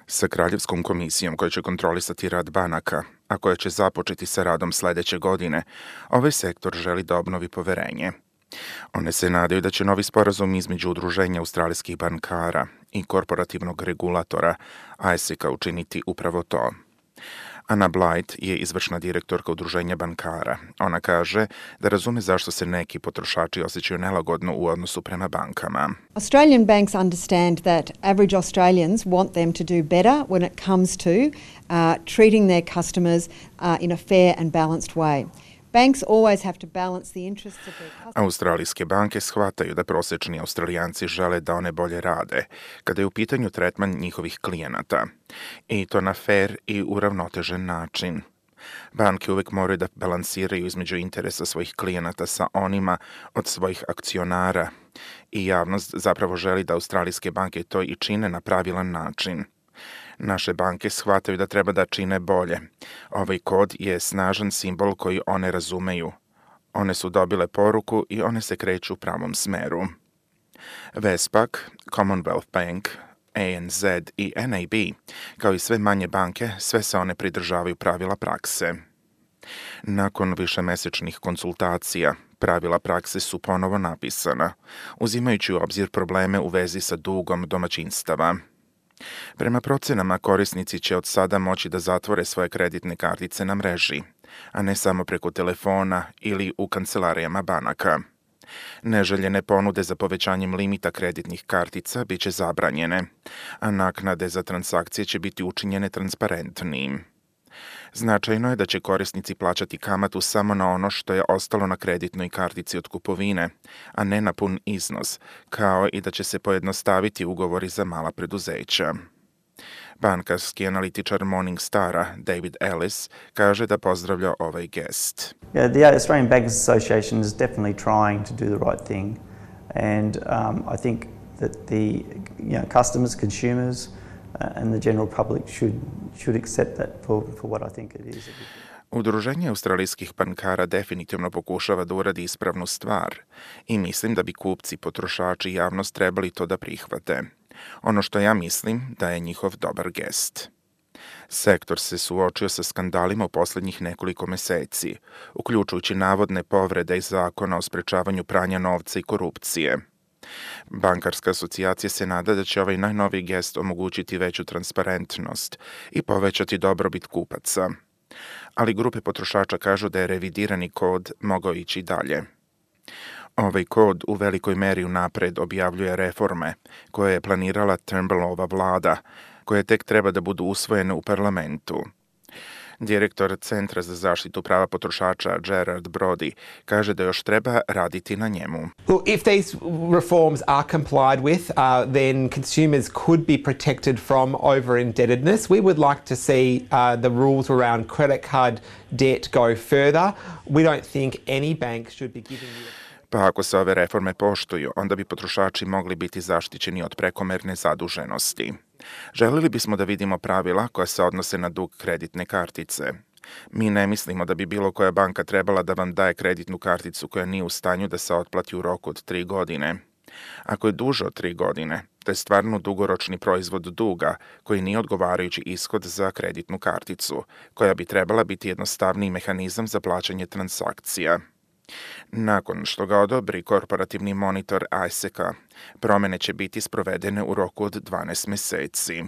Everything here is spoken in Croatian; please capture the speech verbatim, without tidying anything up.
sa Kraljevskom komisijom koja će kontrolisati rad banaka, a koja će započeti sa radom sledeće godine, ovaj sektor želi da obnovi poverenje. One se nadaju da će novi sporazum između Udruženja australijskih bankara i korporativnog regulatora A S I C-a učiniti upravo to. Anna Blight je izvršna direktorka Udruženja bankara. Ona kaže da razume zašto se neki potrošači osjećaju nelagodno u odnosu prema bankama. Australian banks understand that average Australians want them to do better when it comes to uh, treating their customers uh, in a fair and balanced way. Banks always have to balance the interests of their customers. Australijske banke shvataju da prosečni Australijanci žele da one bolje rade kada je u pitanju tretman njihovih klijenata, i to na fair i uravnotežen način. Banke uvek moraju da balansiraju između interesa svojih klijenata sa onima od svojih akcionara, i javnost zapravo želi da australijske banke to i čine na pravilan način. Naše banke shvataju da treba da čine bolje. Ovaj kod je snažan simbol koji one razumeju. One su dobile poruku i one se kreću u pravom smeru. Westpac, Commonwealth Bank, A N Z i N A B, kao i sve manje banke, sve se one pridržavaju pravila prakse. Nakon višemesečnih konsultacija, pravila prakse su ponovo napisana, uzimajući u obzir probleme u vezi sa dugom domaćinstava. Prema procenama, korisnici će od sada moći da zatvore svoje kreditne kartice na mreži, a ne samo preko telefona ili u kancelarijama banaka. Neželjene ponude za povećanjem limita kreditnih kartica biće zabranjene, a naknade za transakcije će biti učinjene transparentnijim. Značajno je da će korisnici plaćati kamatu samo na ono što je ostalo na kreditnoj kartici od kupovine, a ne na pun iznos, kao i da će se pojednostaviti ugovori za mala preduzeća. Bankarski analitičar Morningstara David Ellis kaže da pozdravlja ovaj gest. Yeah, the Australian Bankers Association is definitely trying to do the right thing, and um, I think that the you know, customers, consumers, and the general public should should accept that for for what I think it is. Udruženje australijskih bankara definitivno pokušava da uradi ispravnu stvar i mislim da bi kupci, potrošači i javnost trebali to da prihvate. Ono što ja mislim da je njihov dobar gest. Sektor se suočio sa skandalima u poslednjih nekoliko meseci, uključujući navodne povrede iz zakona o sprečavanju pranja novca i korupcije. Bankarska asocijacija se nada da će ovaj najnoviji gest omogućiti veću transparentnost i povećati dobrobit kupaca. Ali grupe potrošača kažu da je revidirani kod mogao ići dalje. Ovaj kod u velikoj meri unapred objavljuje reforme koje je planirala Turnbullova vlada, koje tek treba da budu usvojene u parlamentu. Direktor Centra za zaštitu prava potrošača Gerard Brody kaže da još treba raditi na njemu. Look, if these reforms are complied with, uh, then consumers could be protected from over-indebtedness. We would like to see uh, the rules around credit card debt go further. We don't think any bank should be giving you... Pa ako se ove reforme poštuju, onda bi potrošači mogli biti zaštićeni od prekomerne zaduženosti. Želeli bismo da vidimo pravila koja se odnose na dug kreditne kartice. Mi ne mislimo da bi bilo koja banka trebala da vam daje kreditnu karticu koja nije u stanju da se otplati u roku od tri godine. Ako je duže od tri godine, to je stvarno dugoročni proizvod duga koji nije odgovarajući ishod za kreditnu karticu, koja bi trebala biti jednostavniji mehanizam za plaćanje transakcija. Nakon što ga odobri korporativni monitor A S I C-a, promene će biti sprovedene u roku od dvanaest meseci.